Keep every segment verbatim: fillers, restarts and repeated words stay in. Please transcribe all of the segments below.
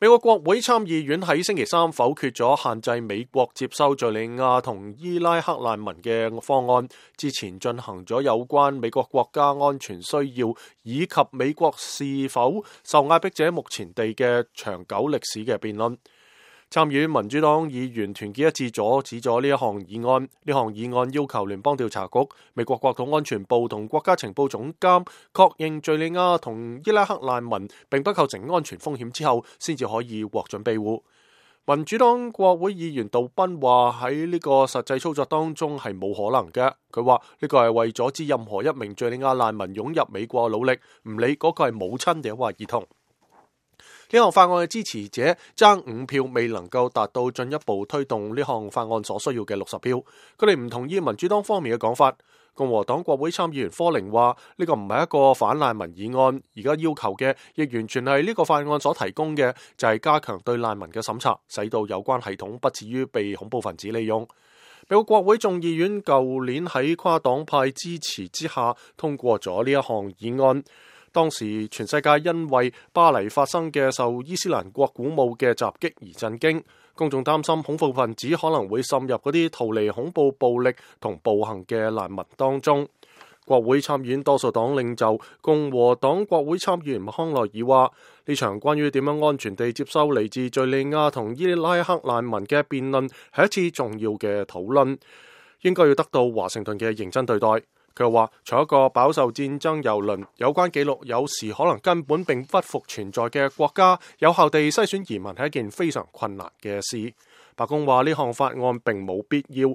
美國國會參議院喺星期三否決咗限制美國接收敘利亞同伊拉克難民嘅方案，之前進行咗有關美國國家安全需要以及美國是否受壓迫者目前地嘅長久歷史嘅辯論。參議院民主黨議員團結一致阻止咗呢一項議案。呢項議案要求聯邦調查局、美國國土安全部同國家情報總監確認敘利亞同伊拉克難民並不構成安全風險之後，先至可以獲准庇護。民主黨國會議員杜賓話喺呢個實際操作當中係冇可能嘅。佢話呢個係為阻止任何一名敘利亞難民湧入美國努力，唔理嗰個係母親定或兒童。呢項法案嘅支持者爭五票，未能夠達到進一步推動呢項法案所需要嘅六十票。佢哋唔同意民主黨方面嘅講法。共和黨國會參議員科寧話：呢個唔係一個反難民議案，而家要求嘅亦完全係呢個法案所提供嘅，就係加強對難民嘅審查，使到有關系統不至於被恐怖分子利用。美國國會眾議院舊年喺跨黨派支持之下通過咗呢一項議案。當時全世界因為巴黎發生嘅受伊斯蘭國鼓舞嘅襲擊而震驚，公眾擔心恐怖分子可能會滲入嗰啲逃離恐怖暴力同暴行嘅難民當中。國會參議院多數黨領袖共和黨國會參議員康奈爾話：呢場關於點樣安全地接收嚟自敘利亞同伊拉克難民嘅辯論係一次重要嘅討論，應該要得到華盛頓嘅認真對待。佢話：從一個飽受戰爭蹂躪、有關記錄有時可能根本並不復存在嘅國家，有效地篩選移民係一件非常困難嘅事。白宮話呢項法案並冇必要，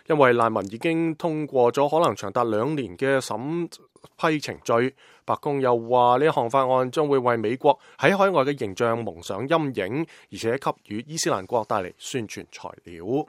因為難民已經通過咗可能長達兩年嘅審批程序。白宮又話呢項法案將會為美國喺海外嘅形象蒙上陰影，而且給予伊斯蘭國帶嚟宣傳材料。